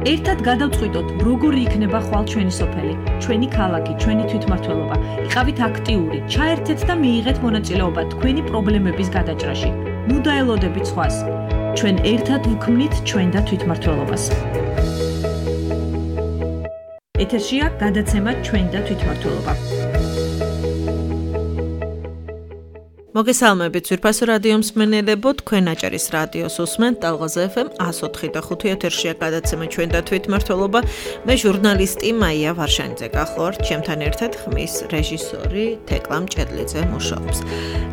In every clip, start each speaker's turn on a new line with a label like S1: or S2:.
S1: ერთად გადავწყვიტოთ, როგორი იქნება ხვალ ჩვენი სოფელი, ჩვენი ქალაქი, ჩვენი თვითმმართველობა. იყავით აქტიური, ჩაერთეთ და მიიღეთ მონაწილეობა თქვენი პრობლემების გადაჭრაში. ნუ დაელოდებით სხვას. ჩვენ ერთად ვქმნით ჩვენ და თვითმმართველობას. ეთერშია გადაცემა ჩვენ და თვითმმართველობა.
S2: მოგესალმებით ძვირფასო რადიო მსმენელებო, თქვენ აჭარის რადიოს უსმენთ ტალღაზე FM 104.5 ეთერშია გადაცემა ჩვენ და თვითმმართველობა. მე ჟურნალისტი მაია ვარშანიძე გახლავართ, ჩემთან ერთად ხმის რეჟისორი თეკლამ ჭედლიძე მუშაობს.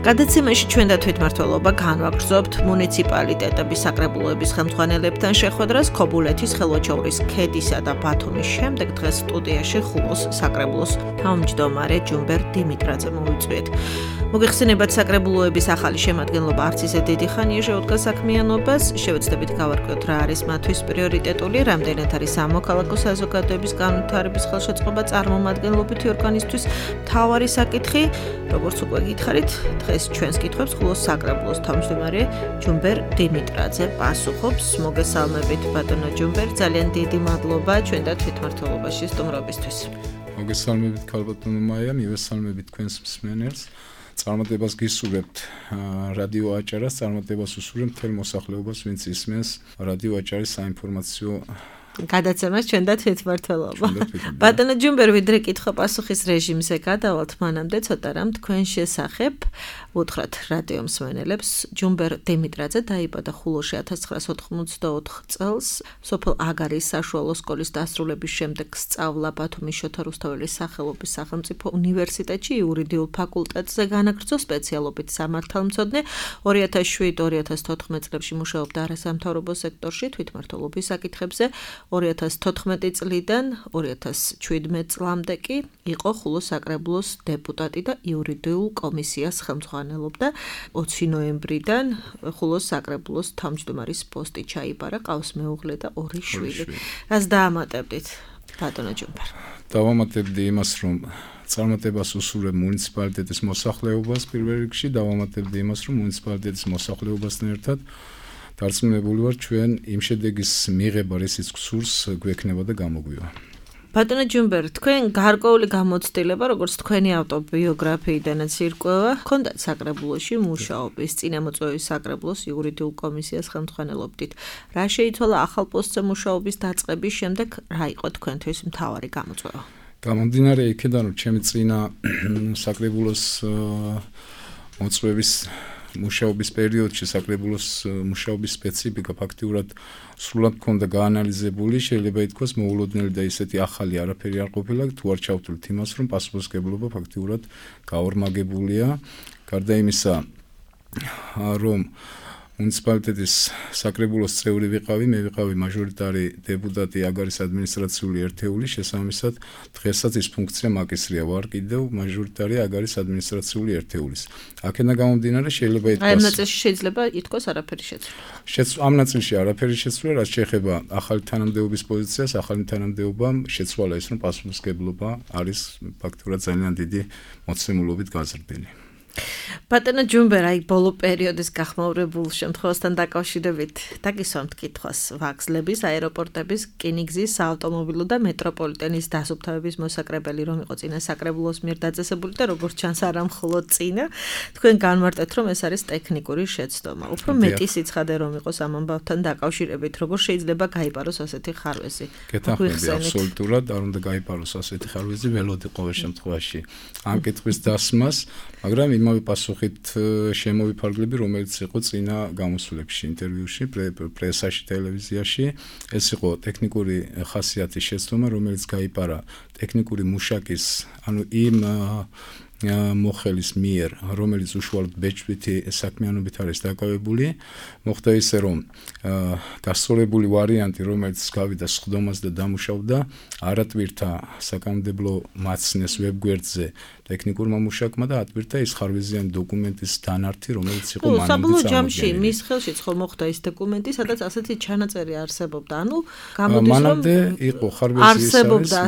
S2: გადაცემაში ჩვენ და თვითმმართველობა განვაგრძობთ მუნიციპალიტეტების საკრებულოების ხელმძღვანელებთან შეხვედრას ქობულეთის, ხელვაჩაურის ქედისა და ბათუმის შემდეგ დღეს სტუდიაში ხულოს საკრებულოს თავმჯდომარე ჯუმბერ დიმიტრაძე მოვიწვიეთ. მოგეხსენებათ საკრებულოების ახალი შემადგენლობა არც ისე დიდი ხანია შეუდგა საქმიანობას, შევეცდებით გავარკვიოთ რა არის მათთვის პრიორიტეტული, რამდენად არის სამოქალაქო საზოგადოების განვითარების ხელშეწყობა წარმომადგენლობითი ორგანისთვის მთავარი საკითხი. როგორც უკვე გითხარით, დღეს ჩვენს კითხვებს ხულოს საკრებულოს თავმჯდომარე ჯუმბერ დიმიტრაძე პასუხობს. მოგესალმებით ბატონო ჯუმბერ, ძალიან დიდი მადლობა ჩვენ და თვითმმართველობაში სტუმრობისთვის.
S3: მოგესალმებით ქალბატონო მაია, მივესალმებით თქვენს მსმენელს. წარმატებას გისურვებთ რადიო აჭარას, წარმატებას უსურვებთ მთელ მოსახლეობას, ვინც ისმენს რადიო აჭარის საინფორმაციო
S2: გადაცემას ჩვენ და თვითმმართველობა. ბატონო ჯუმბერ, ვიდრე კითხვა-პასუხის რეჟიმზე გადავალთ, მანამდე ცოტა რამ თქვენ შესახებ უთხრათ რადიო მსმენელებს. ჯუმბერ დიმიტრაძე დაიბადა ხულოში 1984 წელს. სოფელ აგარის საშუალო სკოლის დასრულების შემდეგ სწავლა ბათუმის შოთა რუსთაველის სახელობის სახელმწიფო უნივერსიტეტში იურიდიულ ფაკულტეტზე განაგრძო სპეციალობით სამართალმცოდნე. 2007-2014 წლებში მუშაობდა არასამთავრობო სექტორში თვითმმართველობის საკითხებზე. 2014 წლიდან 2017 წლამდე კი იყო ხულოს საკრებულოს დეპუტატი და იურიდიულ კომისიას ხელმძღვანელობდა. 20 ნოემბრიდან ხულოს საკრებულოს თავმჯდომარის პოსტი ჩაიბარა, ყავს მეუღლე და 2 შვილი. რას დაამატებდით, ბატონო ჯუმბერ?
S3: დავამატებდი იმას, რომ წარმატებას უსურვებ მუნიციპალიტეტის მოსახლეობას პირველ რიგში, დავამატებდი იმას, რომ მუნიციპალიტეტის მოსახლეობასთან ერთად დარწმუნებული ვარ ჩვენ იმ შედეგის მიღება, რისიც გსურს, გვექნება და გამოგვივა.
S2: ბატონო ჯუმბერ, თქვენ გარკვეული გამოცდილება, როგორც თქვენი ავტობიოგრაფიიდანაც ირკვევა, ჰქონდათ საკრებულოში მუშაობის, წინამოწვევის საკრებულოს იურიდიულ კომისიას ხელმძღვანელობდით. რა შეიცვალა ახალ პოსტზე მუშაობის დაწყების შემდეგ, რა იყო თქვენთვის მთავარი გამოწვევა?
S3: გამომდინარე იქედან, რომ ჩემი წინა საკრებულოს მოწვევის მუშაობის პერიოდში საკრებულოს მუშაობის სპეციფიკა ფაქტიურად სრულად მქონდა გაანალიზებული, შეიძლება ითქვას მოულოდნელი და ისეთი ახალი არაფერი არ ყოფილა, თუ არ ჩავთვლით იმას, რომ პასუხისმგებლობა ფაქტიურად გაორმაგებულია. გარდა იმისა, რომ მუნიციპალიტეტის საკრებულოს წევრი ვიყავი, მე ვიყავი მაჟორიტარი დეპუტატი აგარის ადმინისტრაციული ერთეულის, შესაბამისად დღესაც ის ფუნქცია მაკისრია, ვარ კიდევ მაჟორიტარი აგარის ადმინისტრაციული ერთეულის. აქედან გამომდინარე შეიძლება ითქვას,
S2: ამ ნაწილში შეიძლება ითქვას არაფერი შეცვლა.
S3: ამ ნაწილში არაფერი შეცვლა, რაც შეეხება ახალი თანამდებობის პოზიციას, ახალი თანამდებობამ შეცვალა ის, რომ პასუხისმგებლობა არის ფაქტურად ძალიან დიდი მოცემულობით გაზრდილი.
S2: ბატონო ჯუმბერ, აი ბოლო პერიოდის გახმაურებულ შემთხვევასთან დაკავშირებით დაგისვამთ კითხვას ვაგზლების, აეროპორტების, რკინიგზის, საავტომობილო და მეტროპოლიტენის დასუფთავების მოსაკრებელი რომ იყო წინა საკრებულოს მიერ დაწესებული და როგორც ჩანს არა მხოლოდ წინა, თქვენ განმარტეთ, რომ ეს არის ტექნიკური შეცდომა. უფრო მეტი სიცხადე რომ იყოს ამ ამბავთან დაკავშირებით, როგორ შეიძლება გაიპაროს ასეთი ხარვეზი?
S3: გეთანხმები აბსოლუტურად, არ უნდა გაიპაროს ასეთი ხარვეზი, ველოდი ყოველ შემთხვევაში ამ კითხვის დასმას, მაგრამ იმავე პასუხით შემოვიფარგლები, რომელიც იყო წინა გამოსვლებში, ინტერვიუში, პრესაში, ტელევიზიაში. ეს იყო ტექნიკური ხასიათის შეცდომა, რომელიც გაიპარა ტექნიკური მუშაკის, ანუ იმ მოხელის მიერ, რომელიც უშუალოდ ბეჭდვითი საქმიანობით არის დაკავებული, მოხდა ისე, რომ გასწორებული ვარიანტი, რომელიც გავიდა სხდომას და დამუშავდა, არატვირთა საკანონმდებლო მაცნეს ვებგვერდზე ტექნიკურმა მუშაკმა და ატვირთა ის ხარვეზიანი დოკუმენტის დანართი, რომელიც იყო მანამდე
S2: საბოლოო ჯამში მის ხელშიც ხომ მოხდა ის დოკუმენტი, სადაც ასეთი ჩანაწერი არსებობდა. ანუ გამოდის რომ
S3: მანამდე იყო ხარვეზი,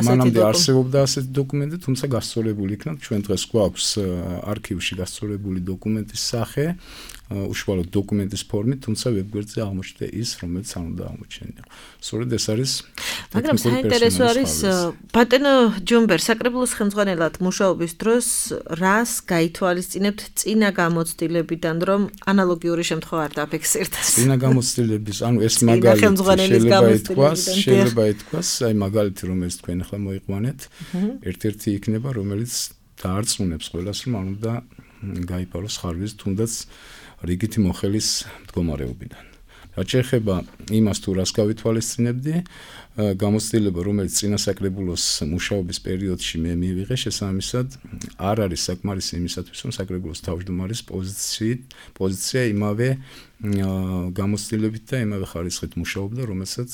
S3: მანამდე არსებობდა ასეთი დოკუმენტი, თუმცა გასწორებული იქნა ჩვენ დღეს გვაქვს არქივში გასწორებული დოკუმენტის სახე, უშუალოდ დოკუმენტის ფორმით, თუმცა ვებგვერდზე აღმოჩნდა ის, რომელიც არ უნდა აღმოჩენილიყო. სწორედ ეს არის
S2: მაგრამ საინტერესო არის ბატონო ჯუმბერ საკრებულოს ხელმძღვანელად მუშაობის დროს რას გაითვალისწინებთ წინა გამოცდილებიდან, რომ ანალოგიური შემთხვევა არ დაფიქსირდეს?
S3: წინა გამოცდილების, ანუ ეს შეიძლება ითქვას, აი მაგალითი რომელიც თქვენ ახლა მოიყვანეთ, ერთ-ერთი იქნება, რომელიც დაარწმუნებს ყველას, რომ არ უნდა გაიფაროს ხარვიზ თუნდაც რიგითი მოხელის მდგომარეობიდან. რაც შეეხება იმას თუ რას გავითვალისწინებდი, გამოცდილება, რომელიც წინასაკრებულოს მუშაობის პერიოდში მე მივიღე, შესაბამისად არ არის საკმარისი იმისათვის, რომ საკრებულოს თავმჯდომარის პოზიცია იმავე გამოცდილებით და იმავე ხარისხით მუშაობდა, რომელზეც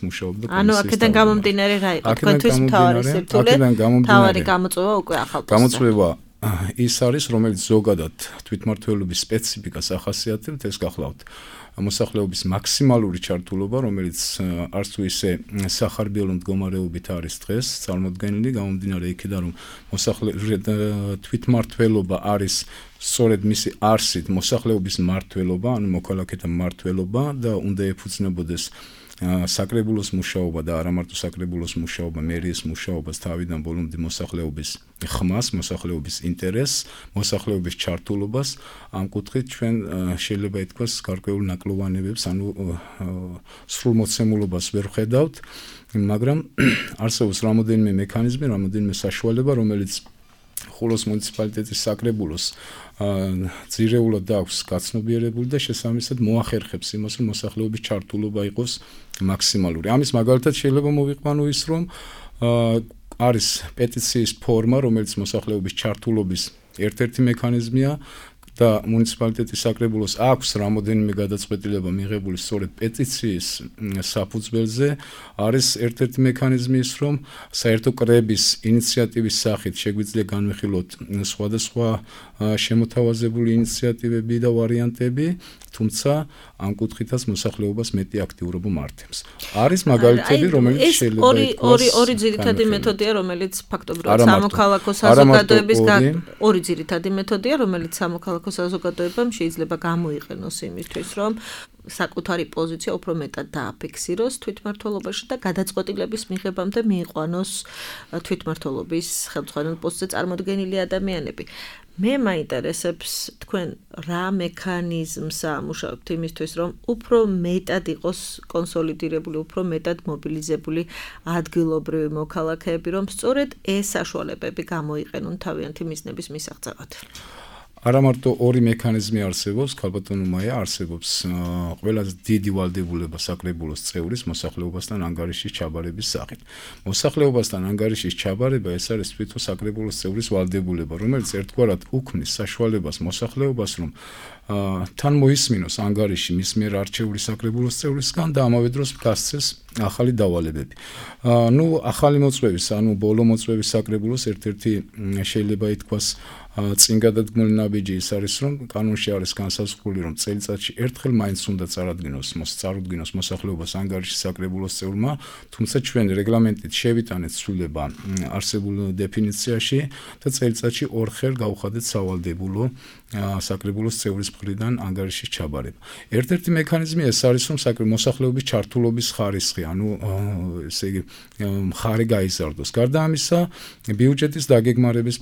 S3: მუშაობდა კომისიის.
S2: ანუ აქედან გამომდინარე რა იყო თქვენთვის მთავარი სირთულე? მთავარი გამოწვევა უკვე ახალ
S3: გამოწვევა ის არის, რომელიც ზოგადად თვითმმართველობის სპეციფიკას ახასიათებთ, ეს გახლავთ მოსახლეობის მაქსიმალური ჩართულობა, რომელიც არც თუ ისე სახარბიელო მდგომარეობით არის დღეს წარმოდგენილი, გამომდინარე იქიდან, რომ თვითმმართველობა არის სწორედ მისი არსით მოსახლეობის მმართველობა, ანუ მოქალაქეთა მმართველობა და უნდა ეფუძნებოდეს საკრებულოს მუშაობა და არა მარტო საკრებულოს მუშაობა, მერიის მუშაობას თავიდან ბოლომდე მოსახლეობის ხმას, მოსახლეობის ინტერესს, მოსახლეობის ჩართულობას. ამ კუთხით ჩვენ შეიძლება ითქვას გარკვეულ ნაკლოვანებებს, ანუ სრულმოცემულობას ვერ ვხედავთ, მაგრამ არსებობს რამოდენიმე მექანიზმი, რამოდენიმე საშუალება, რომელიც ხულოს მუნიციპალიტეტის საკრებულოს ძირეულად აქვს გაცნობიერებული და შესაბამისად მოახერხებს იმას, რომ მოსახლეობის ჩართულობა იყოს მაქსიმალური. ამის მაგალითად შეიძლება მოვიყვანო ის, რომ არის პეტიციის ფორმა, რომელიც მოსახლეობის ჩართულობის ერთ-ერთი მექანიზმია და მუნიციპალიტეტის საკრებულოს აქვს რამოდენიმე გადაწყვეტილება მიღებული სწორედ პეტიციის საფუძველზე, არის ერთ-ერთი მექანიზმი ის, რომ საერთო კრების ინიციატივის სახით შეგვიძლია განვიხილოთ სხვადასხვა შემოთავაზებული ინიციატივები და ვარიანტები, თუმცა ამ კუთხითაც მოსახლეობას მეტი აქტიურობა მართებს. არის მაგალითები, რომელიც შეიძლება ითქვას
S2: ორი ძირითადი მეთოდია, რომელიც ფაქტობრივად სამოქალაქო საზოგადოების ორი ძირითადი მეთოდია, რომელიც სამოქალაქო საზოგადოებამ შეიძლება გამოიყენოს იმისთვის, რომ საკუთარი პოზიცია უფრო მეტად დააფიქსიროს თვითმმართველობაში და გადაწყვეტილების მიღებამდე მიიყვანოს თვითმმართველობის ხელმძღვანელ პოსტზე წარმოდგენილი ადამიანები. მე მაინტერესებს თქვენ რა მექანიზმს ამუშავებთ იმისთვის, რომ უფრო მეტად იყოს კონსოლიდირებული, უფრო მეტად მობილიზებული ადგილობრივი მოქალაქეები, რომ სწორედ ეს საშუალებები გამოიყენონ თავიანთი მიზნების მისაღწევად.
S3: არა მარტო ორი მექანიზმი არსებობს, ქალბატონო მაია, არსებობს ყველაზე დიდი ვალდებულება საკრებულოს წევრის მოსახლეობასთან ანგარიშის ჩაბარების სახით. მოსახლეობასთან ანგარიშის ჩაბარება ეს არის თვითონ საკრებულოს წევრის ვალდებულება, რომელიც ერთგვარად უქმნის საშუალებას მოსახლეობას, რომ თან მოისმინოს ანგარიში მის მიერ არჩეული საკრებულოს წევრისგან და ამავე დროს გასცეს ახალი დავალებები. ახალი მოწვევის, ბოლო მოწვევის საკრებულოს ერთ-ერთი შეიძლება ითქვას წინ გადადგმული ნაბიჯი ის არის, რომ კანონში არის განსაზღვრული, რომ წელიწადში ერთხელ მაინც უნდა წარუდგინოს მოსახლეობას ანგარიშის საკრებულოს წევრმა, თუმცა ჩვენ რეგლამენტით შევიტანეთ ცვლილება არსებულ დეფინიციაში და წელიწადში ორხელ გავხადეთ სავალდებულო საკრებულოს წევრის მხრიდან ანგარიშის ჩაბარება. ერთ-ერთი მექანიზმი ეს არის, რომ მოსახლეობის ჩართულობის ხარისხი, ესე იგი მხარე გაიზარდოს. გარდა ამისა, ბიუჯეტის დაგეგმარების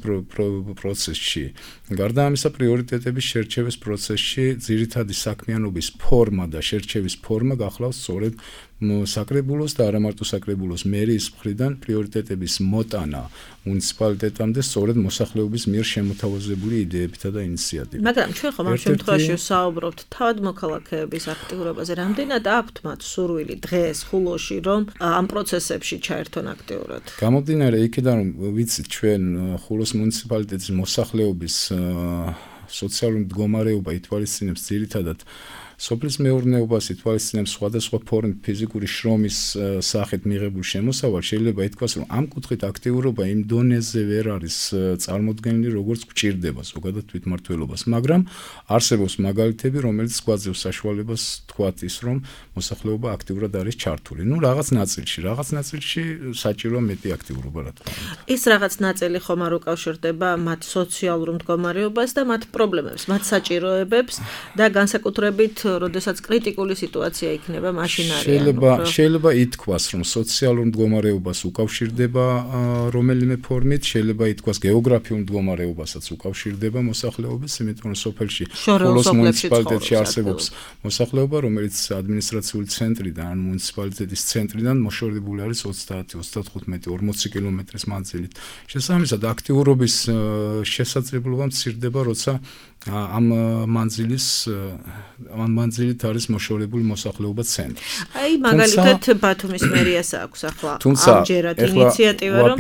S3: პროცესში, გარდა ამისა, პრიორიტეტების შერჩევის პროცესში ძირითადი საქმიანობის ფორმა და შერჩევის ფორმა გახლავს სწორედ საკრებულოს და არა მარტო საკრებულოს მერიის მხრიდან პრიორიტეტების მოტანა მუნიციპალიტეტამდე სწორედ მოსახლეობის მიერ შემოთავაზებული იდეებითა და ინიციატივებით.
S2: მაგრამ ჩვენ ხომ ამ შემთხვევაში ვსაუბრობთ თავად მოქალაქეების აქტიურობაზე, რამდენად აქვთ მათ სურვილი დღეს ხულოში, რომ ამ პროცესებში ჩაერთონ აქტიურად?
S3: გამომდინარე იქიდან, რომ ვიცით ჩვენ ხულოს მუნიციპალიტეტის მოსახლეობის სოციალური მდგომარეობა ითვალისწინებს ძირითადად სოფლის მეურნეობას ითვალისწინებს სხვადასხვა ფორმით ფიზიკური შრომის სახით მიღებულ შემოსავალს, შეიძლება ითქვას, რომ ამ კუთხით აქტიურობა იმ დონეზე ვერ არის წარმოდგენილი, როგორც გვჭირდება ზოგადად თვითმმართველობას, მაგრამ არსებობს მაგალითები, რომელიც გვაძლევს საშუალებას თქვათ ის, რომ მოსახლეობა აქტიურად არის ჩართული. ნუ რაღაც ნაწილში საჭიროა მეტი აქტიურობა, რა თქმა უნდა.
S2: ის რაღაც ნაწილი ხომ არ უკავშირდება მათ სოციალურ მდგომარეობას და მათ პრობლემებს, მათ საჭიროებებს და განსაკუთრებით, როდესაც კრიტიკული სიტუაცია იქნება, მაშინ არის.
S3: შეიძლება ითქვას, რომ სოციალურ მდგომარეობას უკავშირდება რომელიმე ფორმით, შეიძლება ითქვას გეოგრაფიულ მდგომარეობასაც უკავშირდება მოსახლეობის, იმიტომ რომ სოფელში ხოლოს მუნიციპალიტეტში არსებობს მოსახლეობა, რომელიც ადმინისტრაციული ცენტრიდან, ან მუნიციპალიტეტის ცენტრიდან მოშორებული არის 30, 35, 40 კილომეტრის მანძილით. შესაბამისად, აქტიურობის შესაძლებლობა მცირდება, როცა ამ მანძილით არის მოშორებული მოსახლეობა ცენტრს.
S2: აი, მაგალითად, ბათუმის მერიას აქვს ახლა ამჯერად ინიციატივა, რომ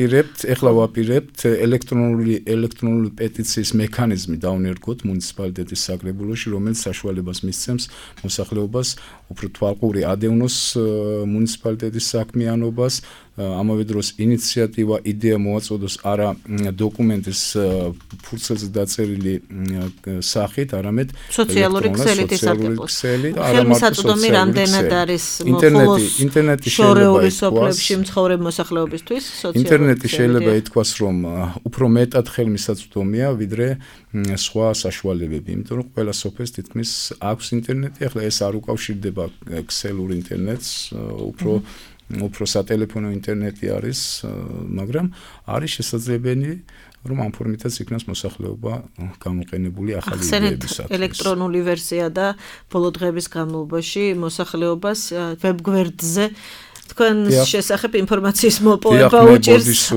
S3: ვაპირებთ ელექტრონული პეტიციის მექანიზმი დავნერგოთ მუნიციპალიტეტის საკრებულოში, რომელიც საშუალებას მისცემს მოსახლეობას უფრო თვალყური ადევნოს მუნიციპალიტეტის საქმიანობას, ამავე დროს ინიციატივა, იდეა მოაწოდოს არა დოკუმენტის ფურცელზე დაწერილი სახით, არამედ
S2: სოციალური ქსელით ისაკრებოს. ხელმისაწვდომი რამდენად არის
S3: ინტერნეტი
S2: შორეული სოფლებში მცხოვრებ მოსახლეობისთვის სოციალური
S3: ინტერნეტი შეიძლება ითქვას, რომ უფრო მეტად ხელმისაწვდომია, ვიდრე სხვა საშუალებები, იმიტომ რომ ყველა სოფელს თითქმის აქვს ინტერნეტი, ახლა ეს არ უკავშირდება ქსელურ ინტერნეტს, უფრო სატელეფონო ინტერნეტი არის, მაგრამ არის შესაძლებელი, რომ ამ ფორმითაც იქნას მოსახლეობა გამოყენებული ახალი იდეებისათვის.
S2: ელექტრონული ვერსია და ბოლო დღეების განმავლობაში მოსახლეობას ვებგვერდზე თქვენ შესახებ ინფორმაციის მოპოვება უჭირს.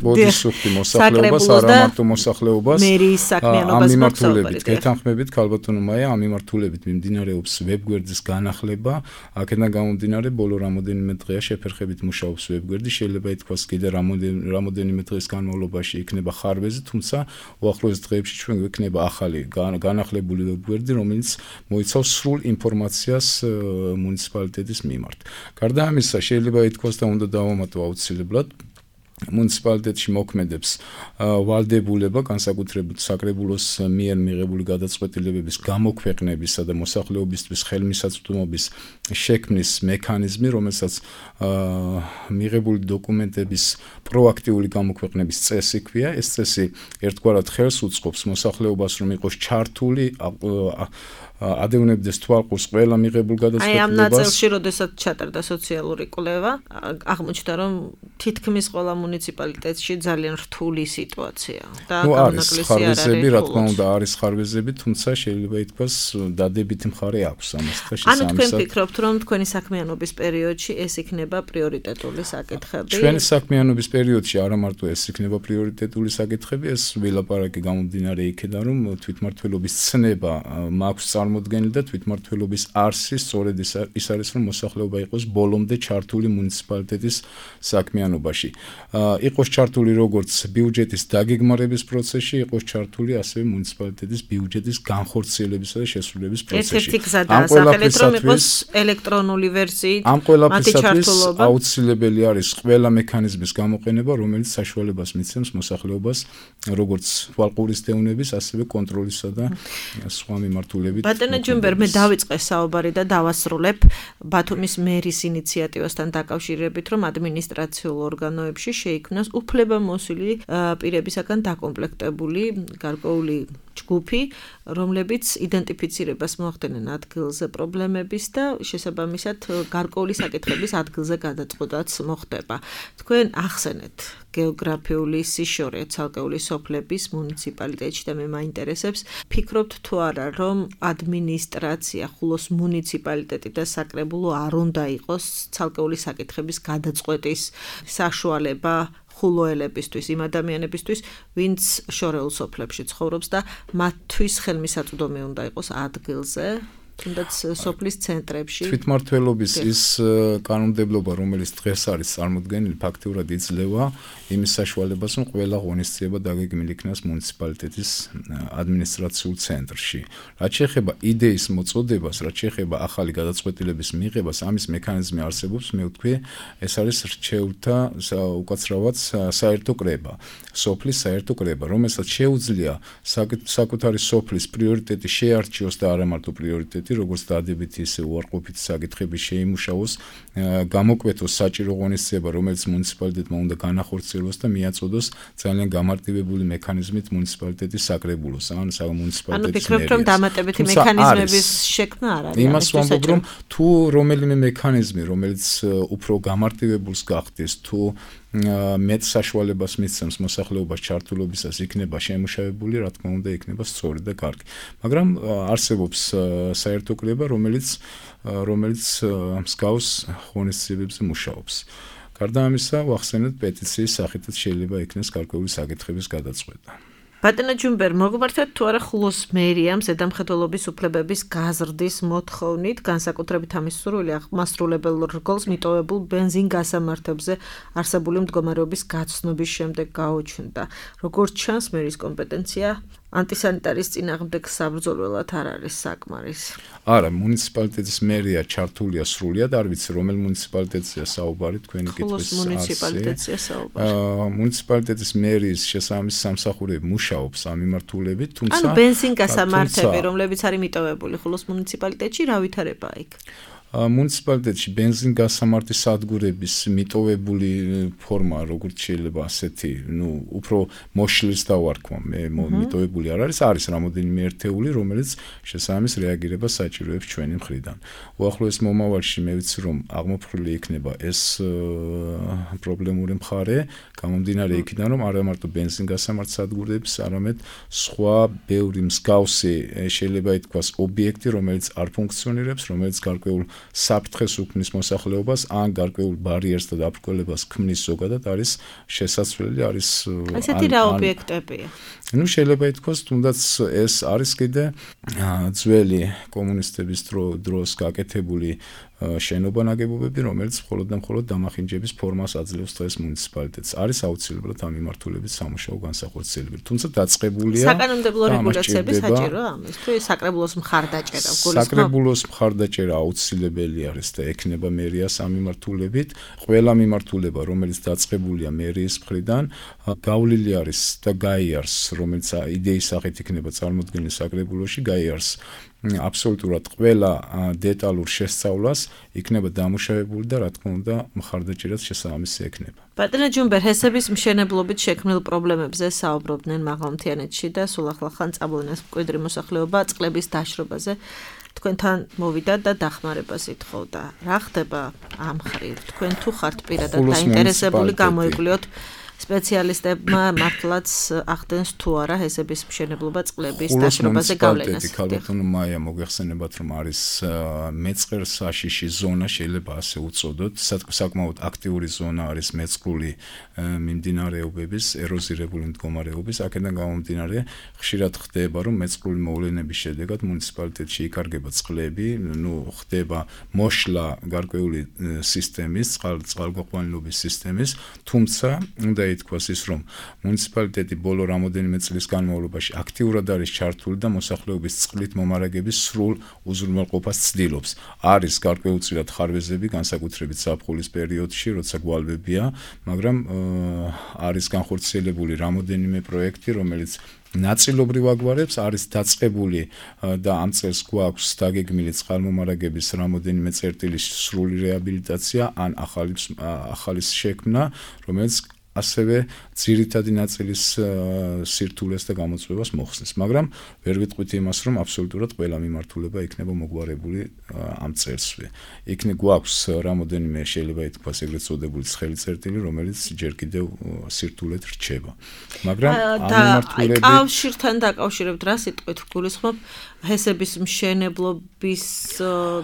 S3: ბოდისუხტი მოსახლეობას, არა მარტო მოსახლეობას.
S2: მერიის საქმიანობას
S3: მიმართულებით, გეთანხმებით, ქალბატონო მაია, ამ მიმართულებით მიმდინარეობს ვებგვერდის განახლება. აქედან გამომდინარე, ბოლო რამოდენიმე დღეა შეფერხებით მუშაობს ვებგვერდი. შეიძლება ითქვას, კიდე რამოდენიმე დღის განმავლობაში იქნება ხარბეზი, თუმცა უახლოეს დღეებში ჩვენ გვექნება ახალი განახლებული ვებგვერდი, რომელიც მოიცავს სრულ ინფორმაციას მუნიციპალიტეტის მიმართ. გარდა ამისა, შეიძლება ითქვას და უნდა დავამატო აუცილებლად მუნიციპალიტეტში მოქმედებს ვალდებულება, განსაკუთრებით საკრებულოს მიერ მიღებული გადაწყვეტილებების გამოქვეყნებისა და მოსახლეობისთვის ხელმისაწვდომობის შექმნის მექანიზმი, რომელსაც მიღებული დოკუმენტების პროაქტიული გამოქვეყნების წესი ქვია. ეს წესი ერთგვარად ხელს უწყობს მოსახლეობას, რომ იყოს ჩართული, ადევნებდეს თვალყურს ყველა მიღებულ გადაწყვეტილებას.
S2: აი, ამ ნაწილში, როდესაც ჩატარდა სოციალური კვლევა, აღმოჩნდა, რომ თითქმის ყველა მუნიციპალიტეტში ძალიან რთული სიტუაცია და
S3: არის ხარბეზები, რა თქმა უნდა, არის ხარბეზები, თუმცა შეიძლება ითქვას, დადებითი მხარე აქვს ამასთან შესაბამისად.
S2: ანუ თქვენ ფიქრობთ, რომ თქვენი საქმიანობის პერიოდში ეს იქნება პრიორიტეტული საკითხები?
S3: ჩვენი საქმიანობის პერიოდში არა მარტო ეს იქნება პრიორიტეტული საკითხები, ეს ვილაპარაკი გამომდინარე იქედან, რომ თვითმმართველობის ცნება მაქვს წარმოდგენილი და თვითმმართველობის არსი სწორედ ის არის, რომ მოსახლეობა იყოს ბოლომდე ჩართული მუნიციპალიტეტის საქმიანობაში. იყოს ჩართული როგორც ბიუჯეტის დაგეგმარების პროცესში, იყოს ჩართული ასევე მუნიციპალიტეტის ბიუჯეტის განხორციელებისა და შესრულების პროცესში.
S2: ერთ-ერთი გზა დაასახელეთ, რომ იყოს ელექტრონული ვერსიით
S3: ამ ყველაფრისათვის აუცილებელი არის ყველა მექანიზმის გამოყენება, რომელიც საშუალებას მისცემს მოსახლეობას როგორც თვალყურის დევნების, ასევე კონტროლისა და სხვა მიმართულებით.
S2: ბატონო ჯუმბერ, მე დავიწყე საუბარი და დავასრულებ ბათუმის მერის ინიციატივასთან დაკავშირებით, რომ ადმინისტრაციულ ორგანოებში შეიქმნას უფლებამოსილი პირებისაგან დაკომპლექტებული გარკვეული ჯგუფი, რომლებიც იდენტიფიცირებას მოახდენენ ადგილზე პრობლემების და შესაბამისად გარკვეული საკითხების ადგილზე გადაწყვეტაც მოხდება. თქვენ ახსენეთ გეოგრაფიული სიშორე ცალკეული სოფლების მუნიციპალიტეტში და მე მაინტერესებს, ფიქრობთ თუ არა, რომ ადმინისტრაცია, ხულოს მუნიციპალიტეტი და საკრებულო არ უნდა იყოს ცალკეული საკითხების გადაწყვეტის საშუალება ხულოელებისთვის, იმ ადამიანებისთვის, ვინც შორეულ სოფლებში ცხოვრობს და მათთვის ხელმისაწვდომი უნდა იყოს ადგილზე, თუნდაც სოფლის ცენტრებში.
S3: თვითმმართველობის ის კანონმდებლობა, რომელიც დღეს არის წარმოდგენილი, ფაქტიურად იძლევა იმის საშუალებას, რომ ყველა ღონისძიება დაგეგმილი იქნას მუნიციპალიტეტის ადმინისტრაციულ ცენტრში. რაც შეეხება იდეის მოწოდებას, რაც შეეხება ახალი გადაწყვეტილების მიღებას, ამის მექანიზმი არსებობს, მე ვთქვი, ეს არის რჩეულთა უკაცრავად საერთო კრება, სოფლის საერთო კრება, რომელსაც შეუძლია საკუთარი სოფლის პრიორიტეტი შეარჩიოს და არა მარტო პრიორიტეტი, როგორც დადებითი ისე უარყოფითი საკითხები შეიმუშაოს, გამოკვეთოს საჭირო ღონისძიება, რომელიც მუნიციპალიტეტმა უნდა განახორციელოს და მიაწოდოს ძალიან გამარტივებული მექანიზმით მუნიციპალიტეტის საკრებულოს, ან მუნიციპალიტეტის მერიას.
S2: ფიქრობ, რომ დამატებითი მექანიზმების შექმნა არ არის.
S3: იმას ვამბობ, რომ თუ რომელიმე მექანიზმი, რომელიც უფრო გამარტივებულს გახდეს, თუ მეტ საშუალებას მისცემს მოსახლეობას ჩართულობისას, იქნება შემუშავებული, რა თქმა უნდა, იქნება სწორი და კარგი. მაგრამ არსებობს საერთო კრება, რომელიც მსგავს ღონისძიებებზე მუშაობს. გარდა ამისა, ვახსენეთ, პეტიციის სახითაც შეიძლება იქნეს გარკვეული საკითხების გადაწყვეტა.
S2: ბატონო ჯუმბერ, მოგმართეთ თუ არა ხულოს მერიამ ზედამხედველობის უფლებების გაზრდის მოთხოვნით, განსაკუთრებით ამის სურვილი მასრულებელ რგოლს მიტოვებულ ბენზინ გასამართებზე არსებული მდგომარეობის გაცნობის შემდეგ გაუჩნდა. როგორც ჩანს, მერის კომპეტენცია ანტისანიტარის წინააღმდეგ საბრძოლველად არ არის საკმარის.
S3: არა, მუნიციპალიტეტის მერია ჩართულია სრულიად, არ ვიცი, რომელ მუნიციპალიტეტია საუბარი, თქვენი კითხვის
S2: მუნიციპალიტეტია საუბარი.
S3: მუნიციპალიტეტის მერიის შესაბამისი სამსახურები მუშაობს ამ მიმართულებით, თუმცა
S2: ანუ ბენზინ გასამართები, რომლებიც არის მიტოვებული ხულოს მუნიციპალიტეტში, რა ვითარებაა იქ?
S3: მუნიციპალიტეტში ბენზინ გასამართი სადგურების მიტოვებული ფორმა, როგორც შეიძლება ასეთი, უფრო მოშლის დავარქვა, მე მიტოვებული არ არის რამოდენიმე ერთეული, რომელიც შესაბამის რეაგირებას საჭიროებს ჩვენი მხრიდან. უახლოეს მომავალში მე ვიცი, რომ აღმოფხვრილი იქნება ეს პრობლემური მხარე, გამომდინარე იქიდან, რომ არა მარტო ბენზინ გასამართ სადგურებს, არამედ სხვა ბევრი მსგავსი შეიძლება ითქვას ობიექტი, რომელიც არ ფუნქციონირებს, რომელიც გარკვეულ საფრთხეს უქმნის მოსახლეობას, ან გარკვეულ ბარიერს და დაბრკოლებას ქმნის ზოგადად არის შესაძლებელი, არის
S2: ესეთი რა ობიექტებია?
S3: შეიძლება ითქვას, თუნდაც ეს არის კიდე ძველი კომუნისტების დროს გაკეთებული შენობა ნაგებობები, რომელიც მხოლოდ და მხოლოდ დამახინჯების ფორმას აძლევს დღეს მუნიციპალიტეტს. არის აუცილებლად ამ მიმართულებით სამუშაო განსახორციელებელი. თუმცა დაწყებულია
S2: საკანონმდებლო რეგულაციები საჭიროა ამისთვის, საკრებულოს მხარდაჭერა,
S3: საკრებულოს მხარდაჭერა აუცილებელი არის და ექნება მერიას ამ მიმართულებით. ყველა მიმართულება, რომელიც დაწყებულია მერიის მხრიდან, გავლილი არის და გაიარს, რომელიც იდეის სახით იქნება წარმოდგენილი საკრებულოში, გაიარს აბსოლუტურად ყველა დეტალურ შესწავლას, იქნება დამუშავებული და რა თქმა უნდა მხარდაჭერაც შესაბამისი ექნება.
S2: ბატონო ჯუმბერ, ჰესების მშენებლობით შექმნილ პრობლემებზე საუბრობდნენ მაღალმთიანეთში და სულ ახლახან წამოვიდეს მკვიდრი მოსახლეობა წყლების დაშრობაზე. თქვენთან მოვიდა და დახმარებას ითხოვდა. რა ხდება ამ მხრივ? თქვენ თუ ხართ პირადად დაინტერესებული გამოიკვლიოთ სპეციალისტებმა მართლაც ახდენს თუ არა ჰესების მშენებლობა წყლების დაშრობაზე გავლენას.
S3: ქალბატონო მაია, მოგეხსენებათ, რომ არის მეწყერ საშიში ზონა, შეიძლება ასე უწოდოთ, საკმაოდ აქტიური ზონა არის მეწყრული მიმდინარეობების, ეროზირებული მდგომარეობის, აქედან გამომდინარე, ხშირად ხდება, რომ მეწყრული მოვლენების შედეგად მუნიციპალიტეტში იკარგება წყლები, ხდება მოშლა გარკვეული სისტემის, წყალგაყვანილობის სისტემის, თუმცა უნდა ითქვას ის, რომ მუნიციპალიტეტი ბოლო რამოდენიმე წლის განმავლობაში აქტიურად არის ჩართული და მოსახლეობის წყლით მომარაგების სრულ უზრუნველყოფას ცდილობს. არის გარკვეულწილად ხარვეზები, განსაკუთრებით ზაფხულის პერიოდში, როცა გვალვებია, მაგრამ არის განხორციელებული რამოდენიმე პროექტი, რომელიც ნაწილობრივ აგვარებს, არის დაწყებული და ამ წელს გვაქვს დაგეგმილი წყალმომარაგების რამოდენიმე წერტილის სრული რეაბილიტაცია ან ახალის შექმნა, რომელიც ასევე ძირითადი ნაწილის სირთულეს და გამოწვევას მოხსნის, მაგრამ ვერ ვიტყვით იმას, რომ აბსოლუტურად ყველა მიმართულება იქნება მოგვარებული ამ წელსვე. იქნებ გვაქვს რამოდენიმე შეიძლება ითქვას ეგრეთ წოდებული ცხელი წერტილი, რომელიც ჯერ კიდევ სირთულეთ რჩება. მაგრამ ამ მიმართულებით
S2: კავშირთან დაკავშირებთ რა სიტყვით გულისხმობ ჰესების მშენებლობის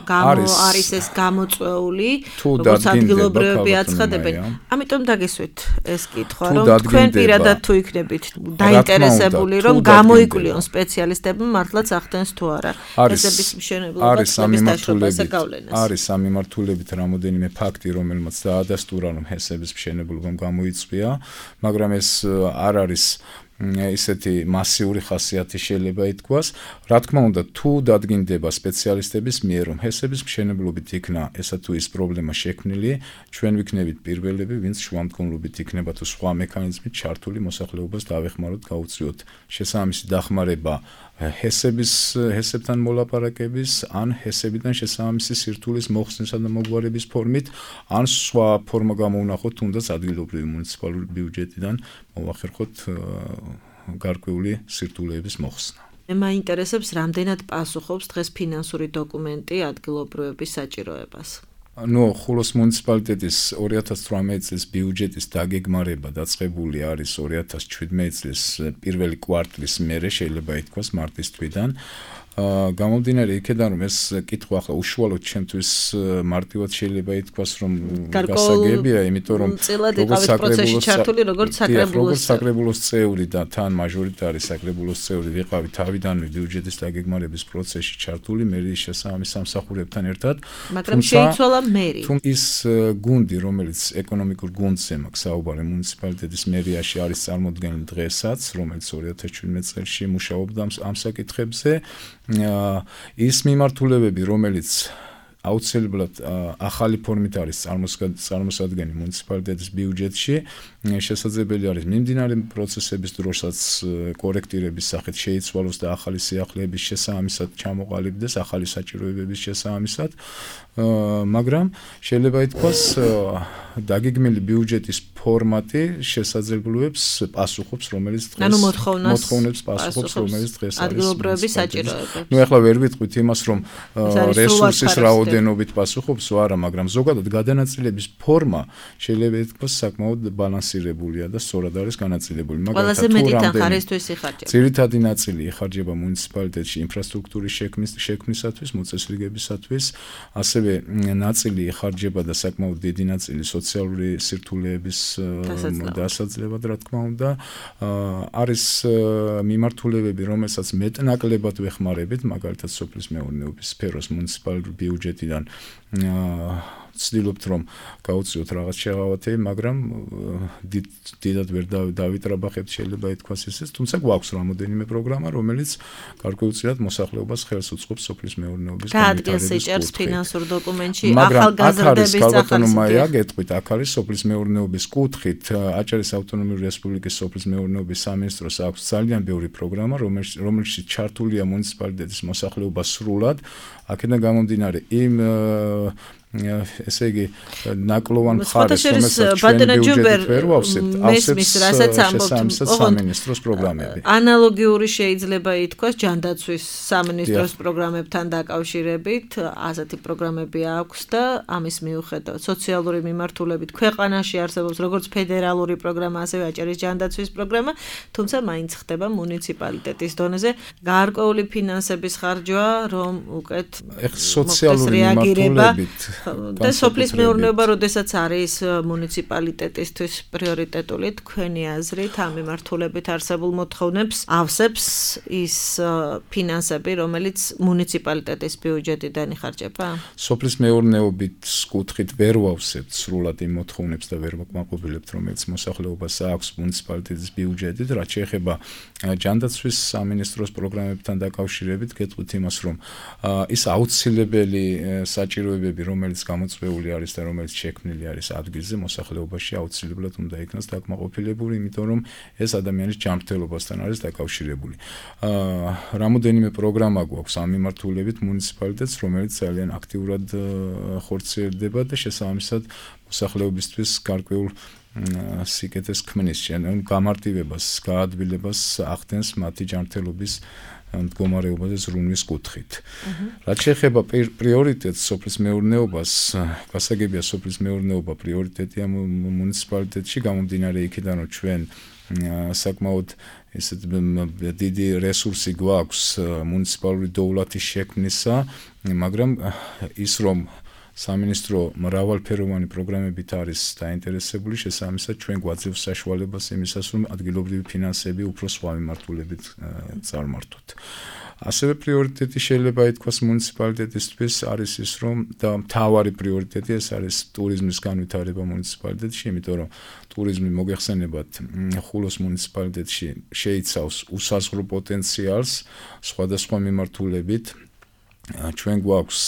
S2: გამო არის ეს გამოწვეული, როგორც ადგილობრივები აცხადებენ. ამიტომ დაგესვით ეს კითხვა, რომ თქვენ პირადად თუ იქნებით დაინტერესებული, რომ გამოიკვლიონ სპეციალისტები მართლაც ახდენს თუ არა ჰესების მშენებლობა წლების დაშრობაზე გავლენას.
S3: არის ამ მიმართულებით რამოდენიმე ფაქტი, რომელმაც დაადასტურა, რომ ჰესების მშენებლობამ გამოიწვია, მაგრამ ეს არ არის ისეთი მასიური ხასიათი შეიძლება ითქვას. Რა თქმა უნდა, თუ დადგინდება სპეციალისტების მიერ, რომ ჰესების მშენებლობით იქნა ესა თუ ის პრობლემა შექმნილი, ჩვენ ვიქნებით პირველები, ვინც შუამდგომლობით იქნება თუ სხვა მექანიზმით ჩართული მოსახლეობას დავეხმაროთ, გაუწიოთ შესაბამისი დახმარება ჰესებთან მოლაპარაკების, ან ჰესებიდან შესაბამისი სირთულის მოხსნისა და მოგვარების ფორმით, ან სხვა ფორმა გამოვნახოთ, თუნდაც ადგილობრივი მუნიციპალური ბიუჯეტიდან მოვახერხოთ გარკვეული სირთულეების მოხსნა.
S2: მე მაინტერესებს, რამდენად პასუხობს დღეს ფინანსური დოკუმენტი ადგილობრივების საჭიროებას.
S3: ხულოს მუნიციპალიტეტის 2018 წლის ბიუჯეტის დაგეგმარება დაწყებული არის 2017 წლის პირველი კვარტლის მერე, შეიძლება ითქვას მარტის თვიდან. გამომდინარე იქედან, რომ ეს კითხვა ახლა უშუალოდ ჩემთვის მარტივად შეიძლება ითქვას, რომ გასაგებია, იმიტომ რომ როგორც საკრებულოს წევრი და თან მაჟორიტარი საკრებულოს წევრი ვიყავი თავიდანვე ბიუჯეტის დაგეგმარების პროცესში ჩართული, მე შესაბამის სამსახურებთან ერთად.
S2: მაგრამ შეიცვალა მერი.
S3: ის გუნდი, რომელიც ეკონომიკურ გუნდზე მაქვს საუბარი მუნიციპალიტეტის მერიაში არის წარმოდგენილი დღესაც, რომელიც 2017 წელს მუშაობდა ამ საკითხებზე. ის მიმართულებები, რომელიც აუცილებლად ახალი ფორმით არის წარმოსადგენი მუნიციპალიტეტის ბიუჯეტში, შესაძლებელი არის მიმდინარე პროცესების დროსაც კორექტირების სახით შეიცვალოს და ახალი სიახლეების შესაბამისად ჩამოყალიბდეს, ახალი საჭიროებების შესაბამისად, მაგრამ შეიძლება ითქვას, დაგეგმილი ბიუჯეტის ფორმატი შესაძლებლობებს პასუხობს, რომელიც დღეს მოთხოვნებს პასუხობს, რომელიც დღეს არის
S2: ადგილობრივების საჭიროებებს.
S3: ახლა ვერ ვიტყვით იმას, რომ რესურსის რაოდენობით პასუხობს, არა, მაგრამ ზოგადად გადანაწილების ფორმა შეიძლება ითქვას საკმაოდ ბალანსირებულია და სწორად არის განაწილებული.
S2: ყველაზე მეტი თანხარისთვის იხარჯება.
S3: ძირითადი ნაწილი იხარჯება მუნიციპალიტეტში ინფრასტრუქტურის შექმნისათვის, მოწესრიგებისათვის, ასევე ნაწილი იხარჯება და საკმაოდ დიდი ნაწილი სოციალური სირთულეების დასაძლევად, რა თქმა უნდა, არის მიმართულებები, რომელსაც მეტნაკლებად ვეხმარებით, მაგალითად სოფლის მეურნეობის სფეროს მუნიციპალური ბიუჯეტიდან ვცდილობთ, რომ გაუწიოთ რაღაც შეღავათები, მაგრამ დიდად ვერ დავიტრაბახებთ, შეიძლება ითქვას ისე, თუმცა გვაქვს რამოდენიმე პროგრამა, რომელიც გარკვეულწილად მოსახლეობას ხელს უწყობს სოფლის მეურნეობის
S2: განვითარების კუთხით. ფინანსურ დოკუმენტში ახალგაზრდების
S3: გეტყვით, აქ არის სოფლის მეურნეობის კუთხით, აჭარის ავტონომიური რესპუბლიკის სოფლის მეურნეობის სამინისტროს აქვს ძალიან ბევრი პროგრამა, რომელშიც ჩართულია მუნიციპალიტეტის მოსახლეობა სრულად, აქედან გამომდინარე იმ ესე იგი ნაკლოვან მხარეს, რომელსაც ჩვენ ბიუჯეტით ვერ ვავსებთ, ავსებს სამინისტროს პროგრამები.
S2: ანალოგიური შეიძლება ითქვას ჯანდაცვის სამინისტროს პროგრამებთან დაკავშირებით, ასეთი პროგრამები აქვს და ამის მიუხედავად სოციალური მიმართულებით ქვეყანაში არსებობს როგორც ფედერალური პროგრამა, ასევე აჭარის ჯანდაცვის პროგრამა, თუმცა მაინც ხდება მუნიციპალიტეტის დონეზე გარკვეული ფინანსების ხარჯვა, რომ უკეთ
S3: სოციალური მიმართულებით
S2: და სოფლის მეურნეობა, როდესაც არის მუნიციპალიტეტისთვის პრიორიტეტული, თქვენი აზრით ამ მიმართულებით არსებულ მოთხოვნებს ავსებს ის ფინანსები, რომელიც მუნიციპალიტეტის ბიუჯეტიდან იხარჯება?
S3: სოფლის მეურნეობით კუთხით ვერ ვავსებთ სრულად იმ მოთხოვნებს და ვერ ვაკმაყოფილებთ, რომელიც მოსახლეობას აქვს მუნიციპალიტეტის ბიუჯეტით, რაც შეეხება ჯანდაცვის სამინისტროს პროგრამებთან დაკავშირებით, გეტყვით იმას, რომ ის აუცილებელი საჭიროებები, რომელიც გამოწვეული არის და რომელიც შექმნილი არის ადგილზე, მოსახლეობაში აუცილებლად უნდა იქნას დაკმაყოფილებული, იმიტომ რომ ეს ადამიანის ჯანმრთელობასთან არის დაკავშირებული. რამოდენიმე პროგრამა გვაქვს ამ მიმართულებით მუნიციპალიტეტს, რომელიც ძალიან აქტიურად ხორციელდება და შესაბამისად მოსახლეობისთვის გარკვეულ სიკეთეს ქმნის, გამარტივებას, გაადვილებას ახდენს მათი ჯანმრთელობის მდგომარეობაზე ზრუნვის კუთხით. რაც შეეხება პრიორიტეტს სოფლის მეურნეობას, გასაგებია სოფლის მეურნეობა პრიორიტეტია მუნიციპალიტეტში, გამომდინარე იქიდან, რომ ჩვენ საკმაოდ ესეთ დიდი რესურსი გვაქვს მუნიციპალური დოვლათის შექმნისა, მაგრამ ის რომ სამინისტრო მრავალფეროვანი პროგრამებით არის დაინტერესებული, შესაბამისად ჩვენ გვაძლევს საშუალებას იმისას, რომ ადგილობრივი ფინანსები უფრო სხვა მიმართულებით წარმართოთ. ასევე პრიორიტეტი შეიძლება ითქვას მუნიციპალიტეტისთვის არის ის, რომ და მთავარი პრიორიტეტი ეს არის ტურიზმის განვითარება მუნიციპალიტეტში, იმიტომ რომ ტურიზმი მოგეხსენებათ ხულოს მუნიციპალიტეტში შეიცავს უსაზღვრო პოტენციალს სხვადასხვა მიმართულებით. ჩვენ გვაქვს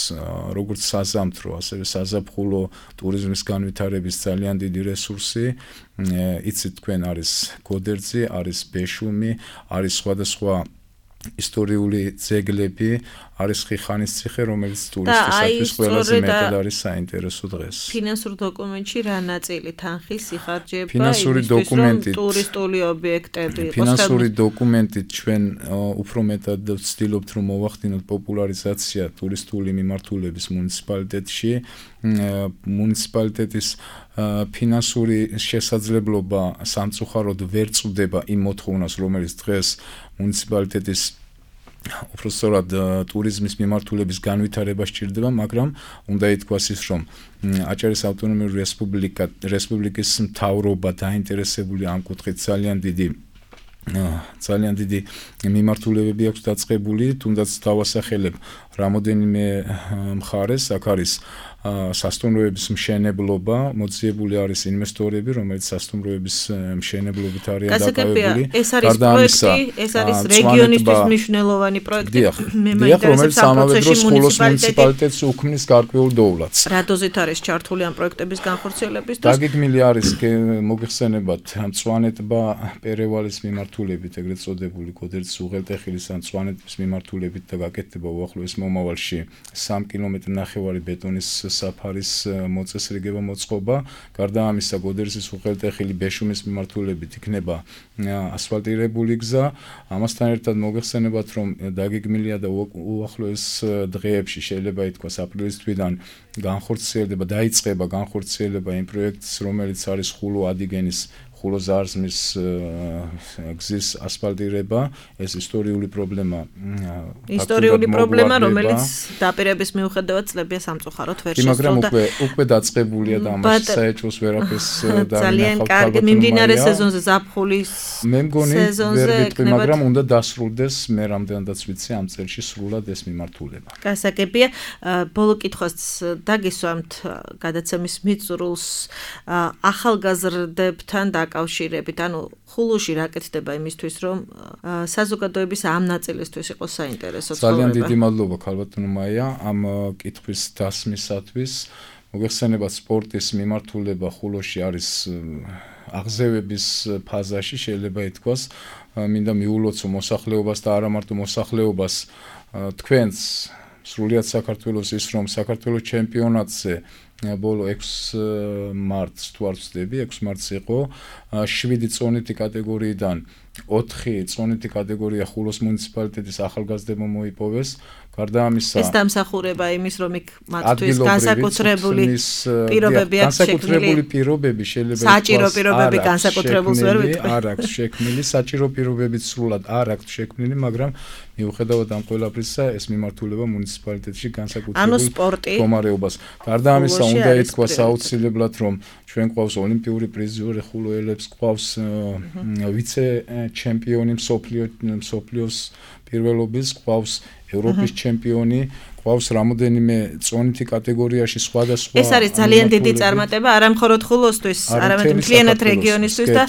S3: როგორც საზამთრო, ასევე საზაფხულო ტურიზმის განვითარების ძალიან დიდი რესურსი. იცით თქვენ არის გოდერძი, არის ბეშუმი, არის სხვადასხვა ისტორიული ძეგლები, არის ხიხანის ციხე, რომელიც ტურისტებისთვის ყველაზე მეტად არის საინტერესო დღეს.
S2: ფინანსურ დოკუმენტში რა ნაწილი თანხის იხარჯება
S3: ფინანსური დოკუმენტით
S2: ტურისტული ობიექტები იყოს?
S3: ფინანსური დოკუმენტით ჩვენ უფრო მეტად ვცდილობთ, რომ მოვახდინოთ პოპულარიზაცია ტურისტული მიმართულების მუნიციპალიტეტში. მუნიციპალიტეტის ფინანსური შესაძლებლობა სამწუხაროდ ვერ წვდება იმ მოთხოვნას, რომელიც დღეს მუნიციპალიტეტის უпростоრად ტურიზმის მიმართულების განვითარება სჭირდება, მაგრამ უნდა ითქვას ის, რომ აჭარის ავტონომიური რესპუბლიკის მთავრობა დაინტერესებული ამ კუთხით ძალიან დიდი მიმართულებები აქვს დაწყებული, თუნდაც დავასახელებ რამოდენიმე მხარეს, აქ არის სასტუმროების მშენებლობა, მოძიებული არის ინვესტორები, რომელიც სასტუმროების მშენებლობით არიან დაკავებული.
S2: ეს არის პროექტი, ეს არის რეგიონისთვის მნიშვნელოვანი პროექტი.
S3: მე მაინტერესებს ამ პროცესში მუნიციპალიტეტს უქმნის გარკვეულ დოვლათს.
S2: რა დოზით არის ჩართული ამ პროექტების განხორციელებისთვის?
S3: დაგეგმილი არის მოგეხსენებათ მწვანეთბა პერევალის მიმართულებით, ეგრეთ წოდებული გოდერძის უღელტეხილის ან მწვანეთბის მიმართულებით და გაკეთდება უახლოეს მომავალში 3 კმ/ნახევარი ბეტონის საფარის მოწესრიგება მოწყობა. გარდა ამისა, გოდერძის უღელტეხილი ბეშუმის მიმართულებით იქნება ასფალტირებული გზა. ამასთან ერთად მოგეხსენებათ, რომ დაგეგმილია და უახლოეს დღეებში შეიძლება ითქვას აპრილის თვიდან დაიწყება განხორციელება იმ პროექტის, რომელიც არის ხულო-ადიგენის ხულო-ზარზმის გზის ასფალტირება. ეს ისტორიული პრობლემა,
S2: რომელიც დაპირების მიუხედავად წლებია სამწუხაროდ ვერ შესრულდა.
S3: მაგრამ უკვე დაწყებულია და ამას საერთოს ვერაფერს
S2: ძალიან კარგი მიმდინარე სეზონზე ზაფხულის
S3: მე მგონი ვერ ვიტყვი, მაგრამ უნდა დასრულდეს მე რამდენადაც ვიცი ამ წელში სრულად ეს მიმართულება.
S2: გასაგებია. ბოლო კითხვას დაგისვამთ გადაცემის მიწურულს ახალგაზრდებთან დაკავშირებით, ანუ ხულოში რა კეთდება იმისთვის, რომ საზოგადოების ამ ნაწილისთვის იყოს საინტერესო ცხოვრება.
S3: ძალიან დიდი მადლობა ქალბატონო მაია ამ კითხვის დასმისათვის. მოგეხსენებათ სპორტის მიმართულება ხულოში არის აღზევების ფაზაში, შეიძლება ითქვას. მინდა მიულოცო მოსახლეობას და არა მარტო მოსახლეობას, თქვენს სრულიად საქართველოს ის, რომ საქართველოს ჩემპიონატზე ბოლო 6 მარტს თუ არ ვცდები, 6 მარტს იყო 7 წონითი კატეგორიიდან 4 წონითი კატეგორია ხულოს მუნიციპალიტეტის ახალგაზრდებმა მოიპოვეს. გარდა ამისა,
S2: ეს დამსახურება იმის, რომ იქ მათთვის განსაკუთრებული პირობები აქვს შექმნილი.
S3: განსაკუთრებული პირობები შეიძლება
S2: საჭირო პირობები განსაკუთრებულს ვერ ვიტყვი.
S3: არ აქვს შექმნილი, საჭირო პირობებიც სრულად არ აქვს შექმნილი, მაგრამ მიუხედავად ამ ყველაფრისა, ეს მიმართულება მუნიციპალიტეტში განსაკუთრებულ მდგომარეობას. გარდა ამისა, უნდა ითქვას აუცილებლად, რომ ჩვენ გვყავს ოლიმპიური პრიზიორი ხულოელებს, გვყავს ვიცე ჩემპიონი მსოფლიოს პირველობის, გვყავს ევროპის ჩემპიონი, გვყავს რამოდენიმე წონითი კატეგორიაში სხვადასხვა.
S2: ეს არის ძალიან დიდი წარმატება, არა მხოლოდ ხულოსთვის, არამედ მთლიანად რეგიონისთვის და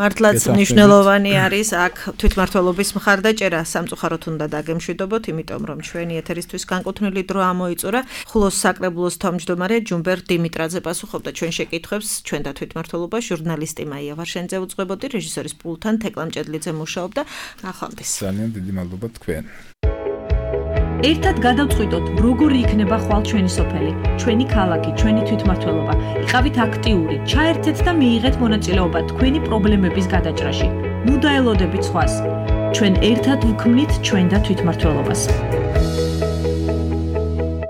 S2: მართლაც მნიშვნელოვანი არის აქ თვითმმართველობის მხარდაჭერა. სამწუხაროდ უნდა დაგემშვიდობოთ, იმიტომ რომ ჩვენი ეთერისთვის განკუთვნილი დრო ამოიწურა. ხულოს საკრებულოს თავმჯდომარე ჯუმბერ დიმიტრაძე პასუხობდა ჩვენ შეკითხვებს, ჩვენ და თვითმმართველობა ჟურნალისტი მაია ვარშენიძე უძღვებოდი, რეჟისორის პულტთან თეკლამ ჭედლიძე მუშაობდა. ნახვამდის.
S3: ძალიან დიდი მადლობა თქვენ.
S1: ერთად გადავწყვიტოთ, როგორი იქნება ხვალ ჩვენი სოფელი, ჩვენი ქალაქი, ჩვენი თვითმმართველობა. იყავით აქტიური, ჩაერთეთ და მიიღეთ მონაწილეობა თქვენი პრობლემების გადაჭრაში. ნუ დაელოდებით სხვას. ჩვენ ერთად ვუქმნით ჩვენ და თვითმმართველობას.